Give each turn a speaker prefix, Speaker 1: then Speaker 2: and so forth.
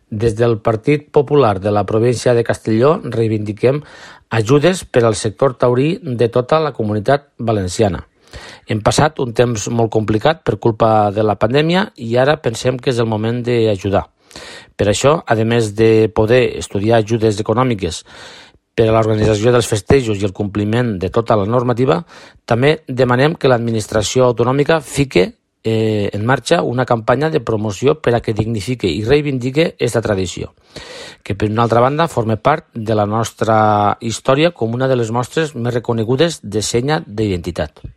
Speaker 1: Des del Partit Popular de la província de Castelló reivindiquem ajudes per al sector taurí de tota la comunitat valenciana. Hem passat un temps molt complicat per culpa de la pandèmia i ara pensem que és el moment d'ajudar. Per això, a més de poder estudiar ajudes econòmiques per a l'organització dels festejos i el compliment de tota la normativa, també demanem que l'administració autonòmica fique en marxa una campanya de promoció per a que dignifique i reivindique aquesta tradició, que per una altra banda forma part de la nostra història com una de les mostres més reconegudes de senya d'identitat.